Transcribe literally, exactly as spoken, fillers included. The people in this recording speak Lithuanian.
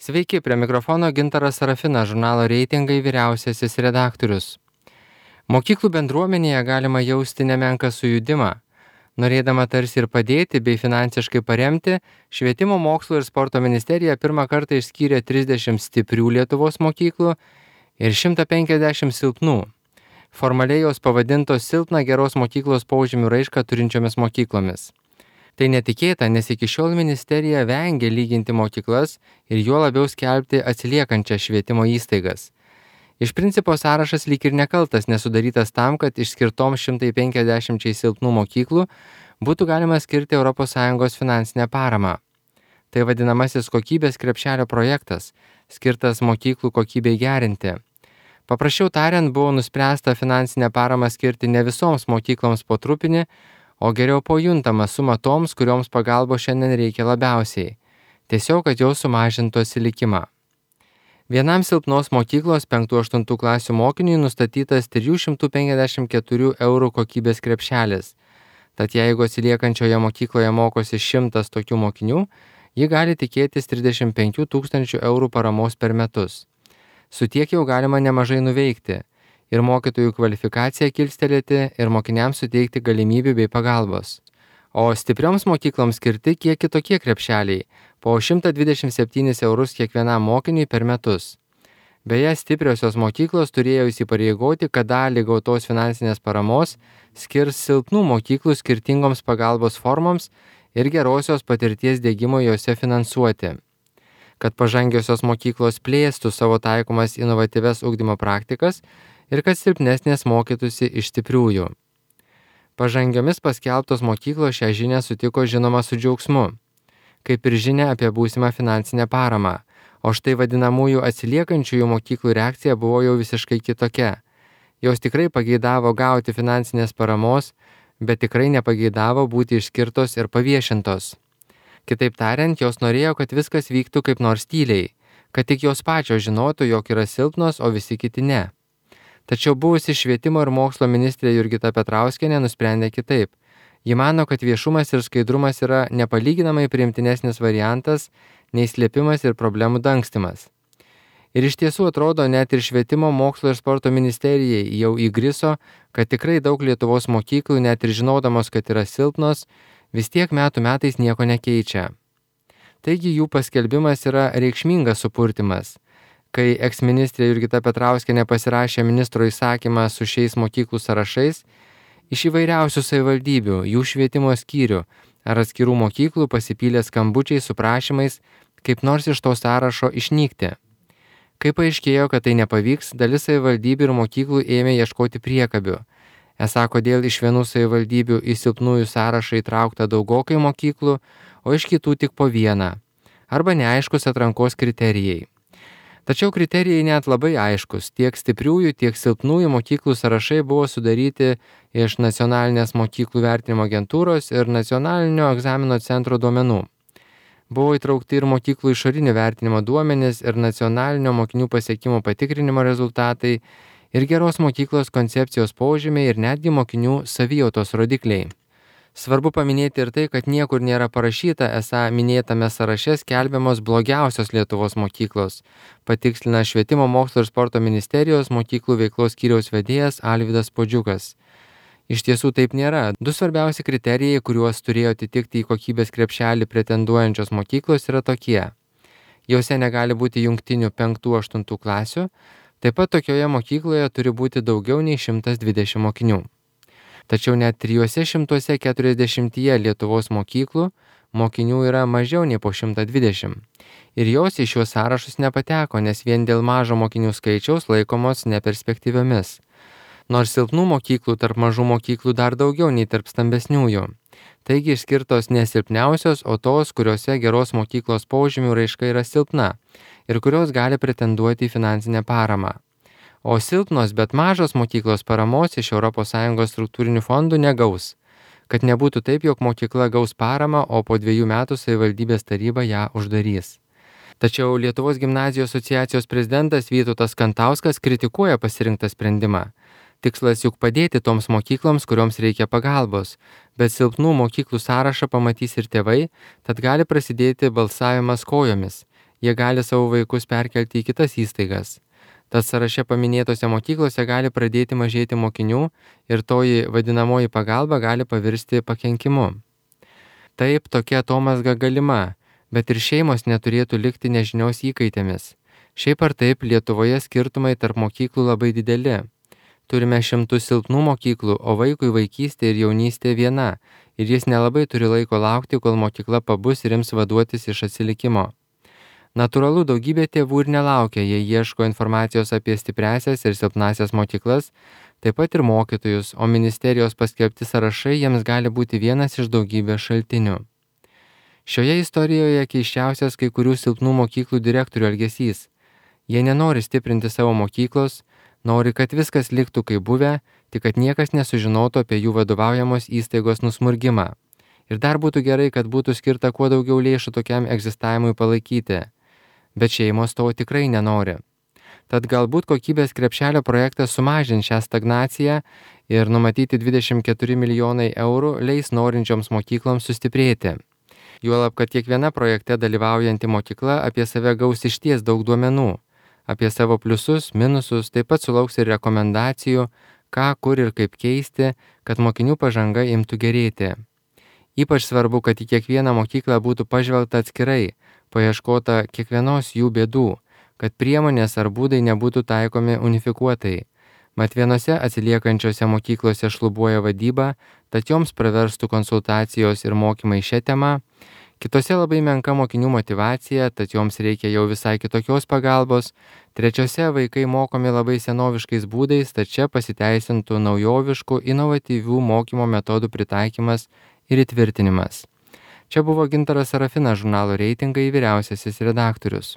Sveiki, prie mikrofono Gintaras Sarafinas, žurnalo Reitingai vyriausiasis redaktorius. Mokyklų bendruomenėje galima jausti nemenką sujudimą. Norėdama tarsi ir padėti bei finansiškai paremti, Švietimo mokslo ir sporto ministerija pirmą kartą išskyrė trisdešimt stiprių Lietuvos mokyklų ir šimtą penkiasdešimt silpnų. Formaliai jos pavadintos silpną geros mokyklos požymių raišką turinčiomis mokyklomis. Tai netikėta, nes iki šiol ministerija vengia lyginti mokyklas ir juo labiau skelbti atsiliekančias švietimo įstaigas. Iš principo sąrašas lyg ir nekaltas, nesudarytas tam, kad išskirtoms šimtą penkiasdešimt silpnų mokyklų būtų galima skirti Europos Sąjungos finansinę paramą. Tai vadinamasis kokybės krepšelio projektas, skirtas mokyklų kokybei gerinti. Paprasčiau tariant, buvo nuspręsta finansinę paramą skirti ne visoms mokykloms po trupinį, o geriau po juntamą sumą toms, kurioms pagalbos šiandien reikia labiausiai. Tiesiog, kad jau sumažintų atsilikimą. Vienam silpnos mokyklos penktų aštuntų klasių mokiniui nustatytas trijų šimtų penkiasdešimt keturių eurų kokybės krepšelis. Tad jeigu atsiliekančioje mokykloje mokosi šimtas tokių mokinių, ji gali tikėtis trisdešimt penkių tūkstančių eurų paramos per metus. Su tiek jau galima nemažai nuveikti. Ir mokytojų kvalifikaciją kilstelėti, ir mokiniams suteikti galimybių bei pagalbos. O stiprioms mokykloms skirti kiek kitokie krepšeliai, po šimtą dvidešimt septynis eurus kiekvienam mokiniui per metus. Beje, stipriosios mokyklos turėjo įsipareigoti, kad dalį gautos finansinės paramos skirs silpnų mokyklų skirtingoms pagalbos formoms ir gerosios patirties diegimo jose finansuoti. Kad pažangiosios mokyklos plėstų savo taikomas inovatyvias ugdymo praktikas, ir kad silpnesnės mokytųsi iš stipriųjų. Pažangiomis paskelbtos mokyklos šią žinią sutiko žinoma su džiaugsmu, kaip ir žinia apie būsimą finansinę paramą, o štai vadinamųjų atsiliekančiųjų mokyklų reakcija buvo jau visiškai kitokia. Jos tikrai pageidavo gauti finansinės paramos, bet tikrai nepageidavo būti išskirtos ir paviešintos. Kitaip tariant, jos norėjo, kad viskas vyktų kaip nors tyliai, kad tik jos pačios žinotų, jog yra silpnos, o visi kiti ne. Tačiau buvusi švietimo ir mokslo ministrė Jurgita Petrauskienė nusprendė kitaip. Ji mano, kad viešumas ir skaidrumas yra nepalyginamai priimtinesnis variantas nei slėpimas ir problemų dangstymas. Ir iš tiesų atrodo, net ir švietimo, mokslo ir sporto ministerijai jau įgriso, kad tikrai daug Lietuvos mokyklų, net ir žinodamos, kad yra silpnos, vis tiek metų metais nieko nekeičia. Taigi jų paskelbimas yra reikšmingas supurtimas. Kai eksministrė Jurgita Petrauskienė pasirašė ministro įsakymą su šiais mokyklų sąrašais, iš įvairiausių savivaldybių, jų švietimo skyrių ar atskirų mokyklų pasipylė skambučiai su prašymais kaip nors iš to sąrašo išnykti. Kai paaiškėjo, kad tai nepavyks, dalis savivaldybių ir mokyklų ėmė ieškoti priekabių. Esą, kodėl iš vienų savivaldybių į silpnųjų sąrašą įtraukta daugokai mokyklų, o iš kitų tik po vieną. Arba neaiškus atrankos kriterijai. Tačiau kriterijai net labai aiškus, tiek stipriųjų, tiek silpnųjų mokyklų sąrašai buvo sudaryti iš Nacionalinės mokyklų vertinimo agentūros ir Nacionalinio egzamino centro duomenų. Buvo įtraukti ir mokyklų išorinio vertinimo duomenys ir nacionalinio mokinių pasiekimų patikrinimo rezultatai ir geros mokyklos koncepcijos požymiai ir netgi mokinių savijautos rodikliai. Svarbu paminėti ir tai, kad niekur nėra parašyta, esą minėtame sąraše skelbiamos blogiausios Lietuvos mokyklos, patikslina Švietimo mokslo ir sporto ministerijos mokyklų veiklos skyriaus vedėjas Alvydas Puodžiukas. Iš tiesų taip nėra. Du svarbiausi kriterijai, kuriuos turėjo atitikti į kokybės krepšelį pretenduojančios mokyklos, yra tokie. Jose negali būti jungtinių penktų aštuntų klasių, taip pat tokioje mokykloje turi būti daugiau nei šimtas dvidešimt mokinių. Tačiau net trijuose šimtuose keturiasdešimtyje Lietuvos mokyklų mokinių yra mažiau nei po šimtą dvidešimt. Ir jos į šiuos sąrašus nepateko, nes vien dėl mažo mokinių skaičiaus laikomos neperspektyviomis. Nors silpnų mokyklų tarp mažų mokyklų dar daugiau nei tarp stambesniųjų. Taigi išskirtos ne silpniausios, o tos, kuriuose geros mokyklos požymių raiška yra silpna ir kurios gali pretenduoti į finansinę paramą. O silpnos, bet mažos mokyklos paramos iš Europos Sąjungos struktūrinių fondų negaus, kad nebūtų taip, jog mokykla gaus paramą, o po dviejų metų savivaldybės taryba ją uždarys. Tačiau Lietuvos gimnazijų asociacijos prezidentas Vytautas Kantauskas kritikuoja pasirinktą sprendimą. Tikslas juk padėti toms mokykloms, kurioms reikia pagalbos, bet silpnų mokyklų sąrašą pamatys ir tėvai, tad gali prasidėti balsavimas kojomis. jie gali savo vaikus perkelti į kitas įstaigas. Tad sąraše paminėtose mokyklose gali pradėti mažėti mokinių ir toji vadinamoji pagalba gali pavirsti pakenkimu. Taip, tokia atomazga galima, bet ir šeimos neturėtų likti nežinios įkaitėmis. Šiaip ar taip, Lietuvoje skirtumai tarp mokyklų labai dideli. Turime šimtus silpnų mokyklų, o vaikui vaikystė ir jaunystė viena, ir jis nelabai turi laiko laukti, kol mokykla pabus ir ims vaduotis iš atsilikimo. Natūralu, daugybė tėvų ir nelaukia, jie ieško informacijos apie stipriasias ir silpnasias mokyklas, taip pat ir mokytojus, o ministerijos paskelbti sąrašai jiems gali būti vienas iš daugybės šaltinių. Šioje istorijoje keiščiausias kai kurių silpnų mokyklų direktorių elgesys. Jie nenori stiprinti savo mokyklos, nori, kad viskas liktų kaip buvę, tik kad niekas nesužinotų apie jų vadovaujamos įstaigos nusmurgimą. Ir dar būtų gerai, kad būtų skirta kuo daugiau lėšų tokiam egzistavimui palaikyti. Bet šeimos to tikrai nenori. Tad galbūt kokybės krepšelio projektas sumažins šią stagnaciją ir numatyti dvidešimt keturi milijonai eurų leis norinčioms mokykloms sustiprėti. Juolab, kad kiekviena projekte dalyvaujanti mokykla apie save gaus išties daug duomenų. Apie savo pliusus, minusus, taip pat sulauks ir rekomendacijų, ką, kur ir kaip keisti, kad mokinių pažanga imtų gerėti. Ypač svarbu, kad į kiekvieną mokyklą būtų pažvelgta atskirai, paieškota kiekvienos jų bėdų, kad priemonės ar būdai nebūtų taikomi unifikuotai. Mat vienose atsiliekančiose mokyklose šlubuoja vadyba, tad joms praverstų konsultacijos ir mokymai šią temą, kitose labai menka mokinių motyvacija, tad joms reikia jau visai kitokios pagalbos, trečiose vaikai mokomi labai senoviškais būdais, tad čia pasiteisintų naujoviškų, inovatyvių mokymo metodų pritaikymas ir įtvirtinimas. Čia buvo Gintaras Sarafinas, žurnalo Reitingai vyriausiasis redaktorius.